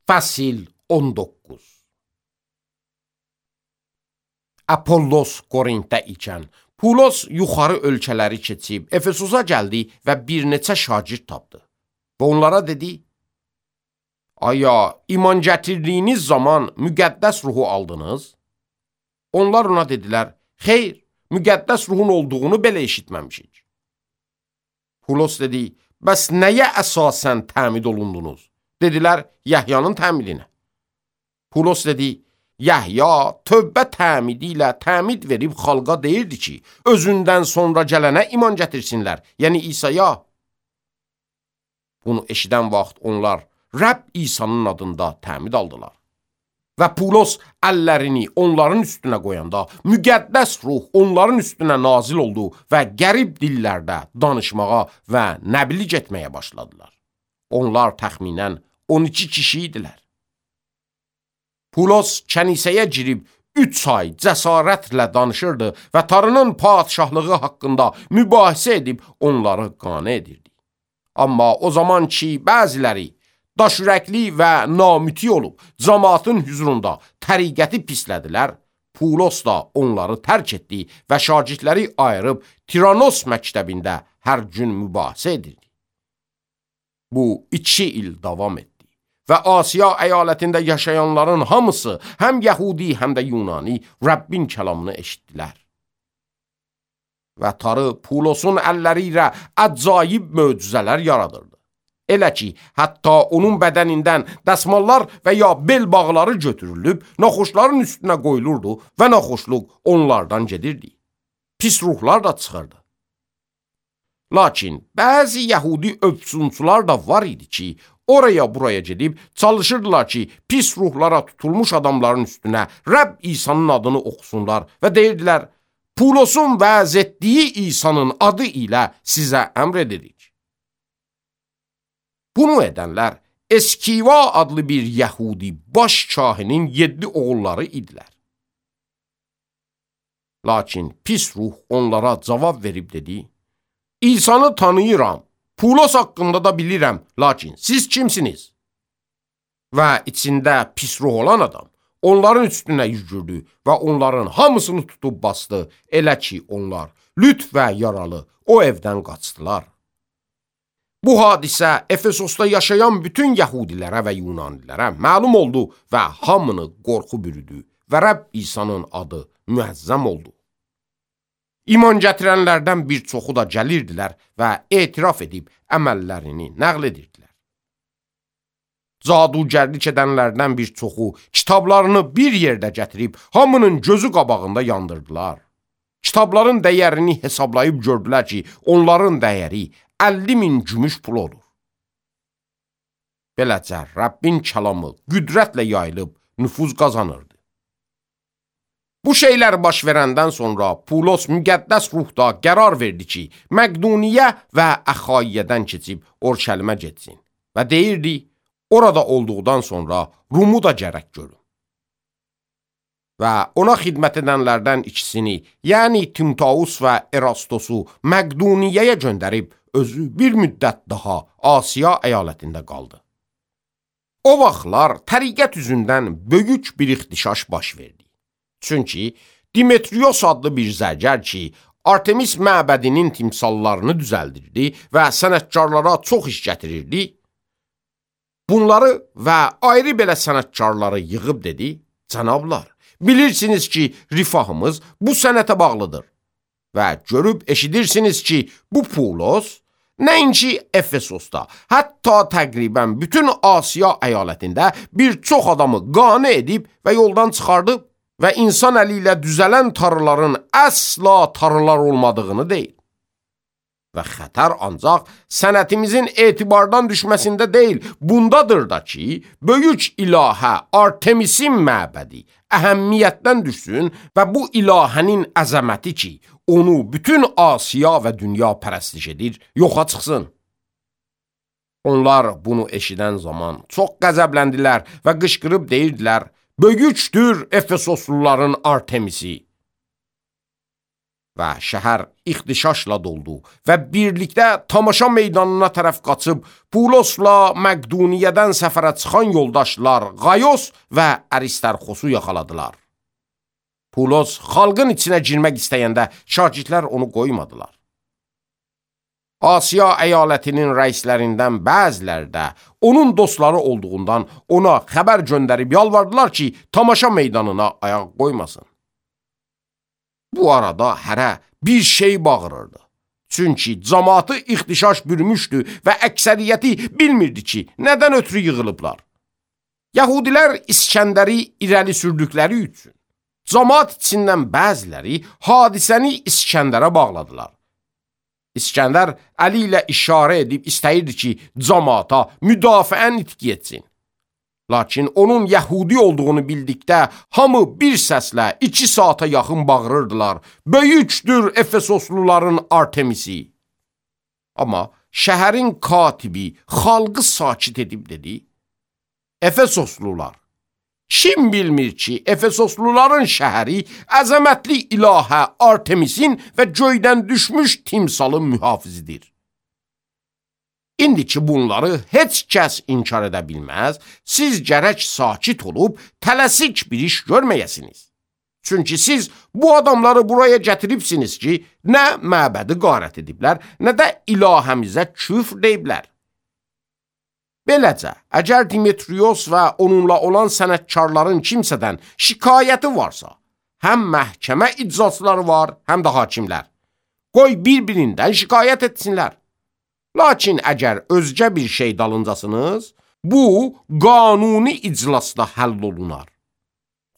Fəsil 19. Apollos Korintdə ikən, Pulos yuxarı ölkələri keçib, Efesosa gəldi və bir neçə şagird tapdı. Və onlara dedi, aya, iman gətirdiyiniz zaman müqəddəs ruhu aldınız? Onlar ona dedilər, xeyr, müqəddəs ruhun olduğunu belə eşitməmişik. Pulos dedi, bəs nəyə əsasən təmid olundunuz? Dedilər, Yəhyanın təmidinə. Pulos dedi, Yəhya tövbə təmidi ilə təmid verib xalqa deyirdi ki, özündən sonra gələnə iman gətirsinlər, yəni İsa'ya. Bunu eşidən vaxt onlar Rəbb İsa'nın adında təmid aldılar. Və Pulos əllərini onların üstünə qoyanda, müqəddəs ruh onların üstünə nazil oldu və qərib dillərdə danışmağa və nəbliğ etməyə başladılar. Onlar təxminən 12 kişi idilər. Pulos kənisəyə girib 3 ay cəsarətlə danışırdı və Tanrının padişahlığı haqqında mübahisə edib onları qane edirdi. Amma o zaman ki, bəziləri daşürəkli və namüti olub, cəmaatın hüzurunda təriqəti pislədilər, Pulos da onları tərk etdi və şagirdləri ayırıb Tiranos məktəbində hər gün mübahisə edirdi. Bu 2 il davam etdi və Asiya əyalətində yaşayanların hamısı, həm Yəhudi, həm də Yunani, Rəbbin kəlamını eşitdilər. Və Tanrı Pulosun əlləri ilə əcaib möcüzələr yaradırdı. Elə ki, hətta onun bədənindən dəsmallar və ya bel bağları götürülüb, naxoşların üstünə qoyulurdu və naxoşluq onlardan gedirdi. Pis ruhlar da çıxırdı. Lakin bəzi Yəhudi öpsünçülər da var idi ki, oraya buraya gedib çalışırdılar ki, pis ruhlara tutulmuş adamların üstünə Rəbb İsa'nın adını oxusunlar və deyirdilər, Pulosun vəz etdiyi İsa'nın adı ilə sizə əmr edirik. Bunu edənlər Eskiva adlı bir Yəhudi baş kahinin 7 oğulları idilər. Lakin pis ruh onlara cavab verib dedi, İsa'nı tanıyıram, Pulos haqqında da bilirəm, lakin siz kimsiniz? Və içində pis ruh olan adam onların üstünə yüzürdü və onların hamısını tutub bastı, elə ki onlar lüt və yaralı o evdən qaçdılar. Bu hadisə Efesosda yaşayan bütün Yəhudilərə və Yunanilərə məlum oldu və hamını qorxu bürüdü və Rəbb İsa'nın adı müəzzəm oldu. İman gətirənlərdən bir çoxu da gəlirdilər və etiraf edib əməllərini nəql edirdilər. Cadugərlik edənlərdən bir çoxu kitablarını bir yerdə gətirib hamının gözü qabağında yandırdılar. Kitabların dəyərini hesablayıb gördülər ki, onların dəyəri 50.000 gümüş pul olur. Beləcə Rəbbin kəlamı qüdrətlə yayılıb nüfuz qazanırdı. Bu şeylər baş verəndən sonra Pulos müqəddəs ruhda qərar verdi ki, Məqduniyə və Əxayiyyədən keçib Orşəlimə getsin və deyirdi, orada olduqdan sonra Rumu da gərək görün. Və ona xidmət edənlərdən ikisini, yəni Timtaus və Erastosu Məqduniyyəyə göndərib, özü bir müddət daha Asiya əyalətində qaldı. O vaxtlar təriqət üzündən böyük bir ixtişaş baş verdi. Çünki Dimetrios adlı bir zərgər ki, Artemis məbədinin timsallarını düzəldirdi və sənətkarlara çox iş gətirirdi, bunları və ayrı belə sənətkarları yığıb dedi, cənablar, bilirsiniz ki, rifahımız bu sənətə bağlıdır və görüb eşidirsiniz ki, bu Pulos, nəinki Efesosda, hətta təqribən bütün Asiya əyalətində bir çox adamı qane edib və yoldan çıxardıb və insan əli ilə düzələn tarıların əsla tarılar olmadığını deyil. Və xətər ancaq sənətimizin etibardan düşməsində deyil, bundadır da ki, böyük ilahə Artemisin məbədi əhəmmiyyətdən düşsün və bu ilahənin əzəməti ki, onu bütün Asiya və dünya pərəstiş edir, yoxa çıxsın. Onlar bunu eşidən zaman çox qəzəbləndilər və qışqırıb deyirdilər, böyükdür Efesosluların Artemisi. və şəhər ixtişaşla doldu və birlikdə tamaşa meydanına tərəf qaçıb Pulosla Məqduniyyədən səfərə çıxan yoldaşlar Qayos və Aristarxosu yaxaladılar. Pulos xalqın içinə girmək istəyəndə şagirdlər onu qoymadılar. Asiya əyalətinin rəislərindən bəziləri də onun dostları olduğundan ona xəbər göndərib yalvardılar ki, tamaşa meydanına ayaq qoymasın. Bu arada hərə bir şey bağırırdı. Çünki cəmaatı ixtişaş bürümüşdü və əksəriyyəti bilmirdi ki, nədən ötürü yığılıblar. Yəhudilər İskəndəri irəli sürdükləri üçün cəmaat içindən bəziləri hadisəni İskəndərə bağladılar. İskəndər əli ilə işarə edib istəyirdi ki, cəmaata müdafiən itki etsin. Lakin onun Yəhudi olduğunu bildikdə hamı bir səslə 2 saata yaxın bağırırdılar: "Böyükdür Efesosluların Artemisi!" Amma şəhərin katibi xalqı sakit edib dedi: "Efesoslular, kim bilmir ki, Efesosluların şəhəri əzəmətli ilahə Artemisin və göydən düşmüş timsalın mühafizidir. İndi ki bunları heç kəs inkar edə bilməz, siz gərək sakit olub tələsik bir iş görməyəsiniz. Çünki siz bu adamları buraya gətiribsiniz ki, nə məbədi qarət ediblər, nə də ilahəmizə küfr deyiblər. Beləcə, əgər Dimitrios və onunla olan sənətkarların kimsədən şikayəti varsa, həm məhkəmə icraçıları var, həm də hakimlər. Qoy bir-birindən şikayət etsinlər. Lakin əgər özgə bir şey dalıncasınız, bu qanuni iclasda həll olunar.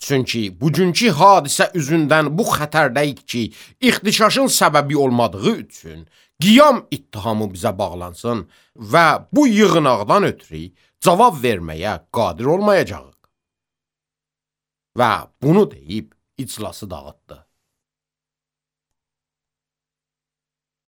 Çünki bugünkü hadisə üzündən bu xətərdəyik ki, ixtişaşın səbəbi olmadığı üçün qiyam ittihamı bizə bağlansın və bu yığınaqdan ötürü cavab verməyə qadir olmayacağıq. Və bunu deyib iclası dağıtdı.